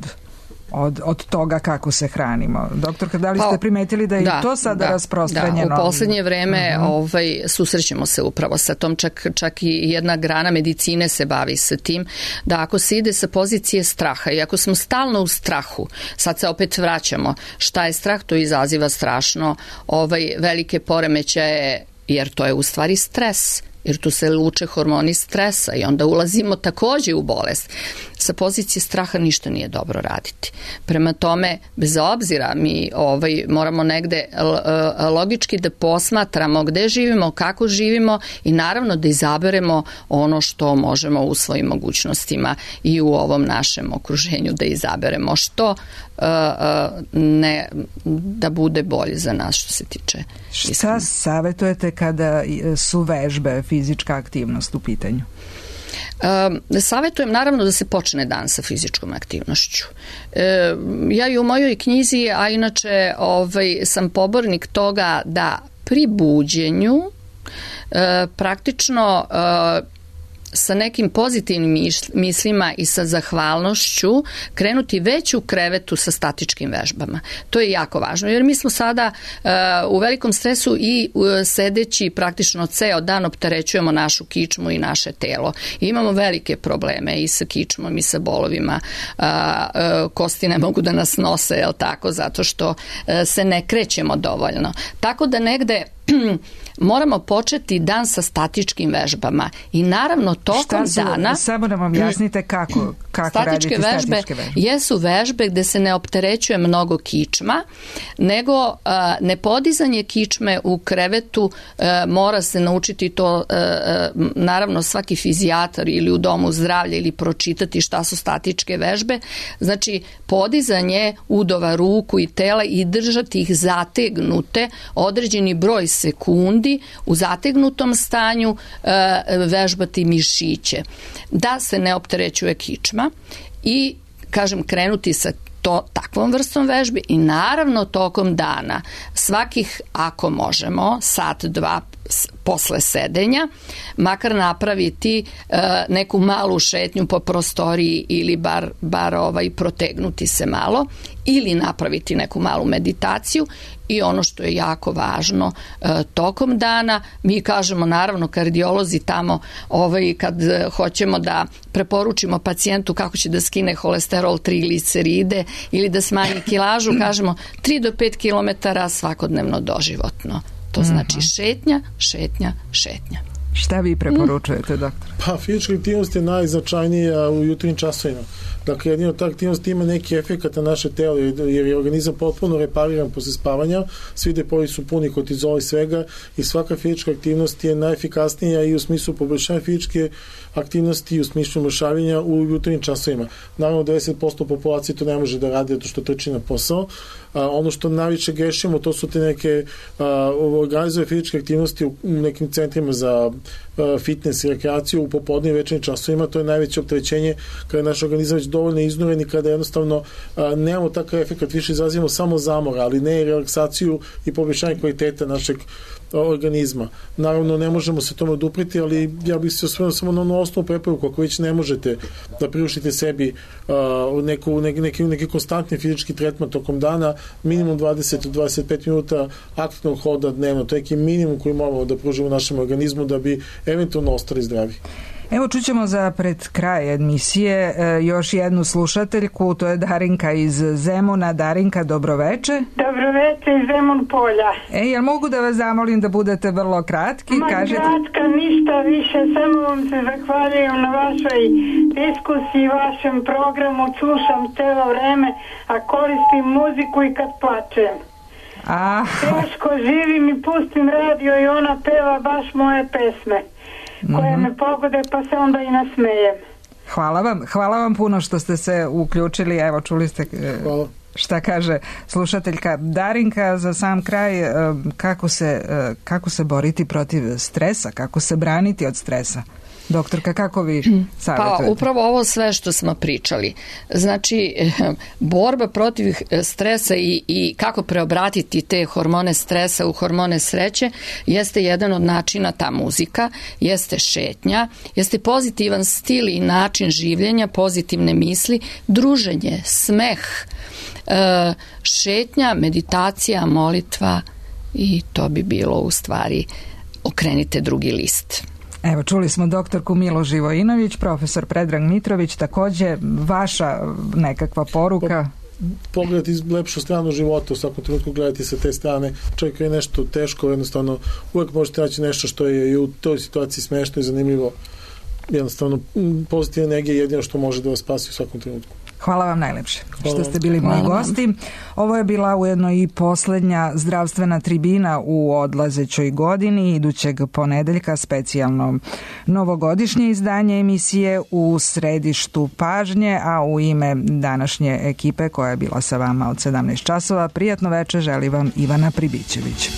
od, od toga kako se hranimo. Doktorka, da li ste primetili da je da, i to sada da, rasprostranjeno? Da, u poslednje vreme uh-huh. ovaj, susrećemo se upravo sa tom, čak, čak i jedna grana medicine se bavi sa tim, da ako se ide sa pozicije straha i ako smo stalno u strahu, sad se opet vraćamo, šta je strah, to izaziva strašno ovaj, velike poremećaje, jer to je u stvari stres, jer tu se luče hormoni stresa i onda ulazimo takođe u bolest. Sa pozicije straha ništa nije dobro raditi. Prema tome, bez obzira, mi ovaj, moramo negde logički da posmatramo gde živimo, kako živimo i naravno da izaberemo ono što možemo u svojim mogućnostima i u ovom našem okruženju da izaberemo što ne, da bude bolje za nas što se tiče. Šta savjetujete kada su vežbe, fizička aktivnost u pitanju? E, savjetujem naravno da se počne dan sa fizičkom aktivnošću. E, ja i u mojoj knjizi, a inače ovaj, sam pobornik toga da pri buđenju e, praktično e, sa nekim pozitivnim mislima i sa zahvalnošću krenuti već u krevetu sa statičkim vežbama. To je jako važno, jer mi smo sada uh, u velikom stresu i uh, sedeći praktično ceo dan opterećujemo našu kičmu i naše telo. I imamo velike probleme i sa kičmom i sa bolovima. Uh, uh, kosti ne mogu da nas nose, jel tako, zato što uh, se ne krećemo dovoljno. Tako da negde moramo početi dan sa statičkim vežbama i naravno tokom su, dana... Samo nam objasnite kako, kako statičke raditi vežbe, statičke vežbe. Jesu vežbe gde se ne opterećuje mnogo kičma, nego uh, nepodizanje kičme u krevetu uh, mora se naučiti to, uh, naravno svaki fizijatar ili u domu zdravlja ili pročitati šta su statičke vežbe. Znači, podizanje udova ruku i tela i držati ih zategnute određeni broj sekundi u zategnutom stanju, e, vežbati mišiće da se ne opterećuje kičma i kažem krenuti sa to takvom vrstom vežbi i naravno tokom dana svakih, ako možemo, sat, dva posle sedenja, makar napraviti e, neku malu šetnju po prostoriji ili bar, bar ovaj, protegnuti se malo ili napraviti neku malu meditaciju i ono što je jako važno e, tokom dana, mi kažemo naravno kardiolozi tamo ovaj, kad e, hoćemo da preporučimo pacijentu kako će da skine holesterol, trigliceride ili da smanji kilažu, kažemo tri do pet kilometara svakodnevno doživotno. To znači šetnja, šetnja, šetnja. Šta vi preporučujete, doktor? Pa, fizička aktivnost je najznačajnija u jutarnjim časovima. Dakle, jedino ta aktivnost ima neki efekat na naše telo, jer je organizam potpuno repariran posle spavanja, svi depoji su puni kortizola i svega i svaka fizička aktivnost je najefikasnija i u smislu poboljšanja fizičke aktivnosti i u smislu mršavljenja u jutarnjim časovima. Naravno, devedeset posto populacije to ne može da radi zato što trči na posao. A, ono što najviše grešimo, to su te neke organizove fizičke aktivnosti u nekim centrima za a, fitness i rekreaciju u popodne i večernjim časovima. To je najveće opterećenje kada je naš organizam već dovoljno iznuren i kada jednostavno a, nemamo takav efekt, više izrazimo samo zamor, ali ne i relaksaciju i poboljšanje kvaliteta našeg organizma. Naravno, ne možemo se tome odupriti, ali ja bih se osvrnuo samo na onu osnovnu preporuku. Ako već ne možete da priuštite sebi uh, neku, neki, neki, neki konstantni fizički tretman tokom dana, minimum dvadeset do dvadeset pet minuta aktivnog hoda dnevno. To je neki minimum koji moramo da pružimo našem organizmu da bi eventualno ostali zdravi. Evo čućemo za pred kraj emisije e, još jednu slušateljku, to je Darinka iz Zemuna. Darinka, dobroveče. Dobroveče iz Zemun polja. E, jel mogu da vas zamolim da budete vrlo kratki? Ma Kažete... kratka, ništa više, samo vam se zahvaljujem na vašoj diskusiji, vašem programu, slušam celo vreme, a koristim muziku i kad plačem. Ah. Teško živim i pustim radio i ona peva baš moje pesme koje me pogode, pa se onda i nasmejem. Hvala vam, hvala vam puno što ste se uključili. Evo, čuli ste hvala. Šta kaže slušateljka. Darinka, za sam kraj, kako se, kako se boriti protiv stresa, kako se braniti od stresa? Doktorka, kako vi savjetujete? Pa upravo ovo sve što smo pričali. Znači, borba protiv stresa i, i kako preobratiti te hormone stresa u hormone sreće jeste jedan od načina ta muzika, jeste šetnja, jeste pozitivan stil i način življenja, pozitivne misli, druženje, smeh, e, šetnja, meditacija, molitva i to bi bilo u stvari okrenite drugi list. Evo, čuli smo doktorku Milo Živojinović, profesor Predrag Mitrović, takođe vaša nekakva poruka. Pogledati lepšu stranu života, u svakom trenutku gledati sa te strane, čovjek je nešto teško, jednostavno uvek možete naći nešto što je i u toj situaciji smešno i zanimljivo, jednostavno pozitivna energija je jedino što može da vas spasi u svakom trenutku. Hvala vam najlepše što ste bili moji gosti. Ovo je bila ujedno i poslednja zdravstvena tribina u odlazećoj godini, idućeg ponedeljka specijalno novogodišnje izdanje emisije u središtu pažnje, a u ime današnje ekipe koja je bila sa vama od sedamnaest časova, prijatno veče želi vam Ivana Pribićević.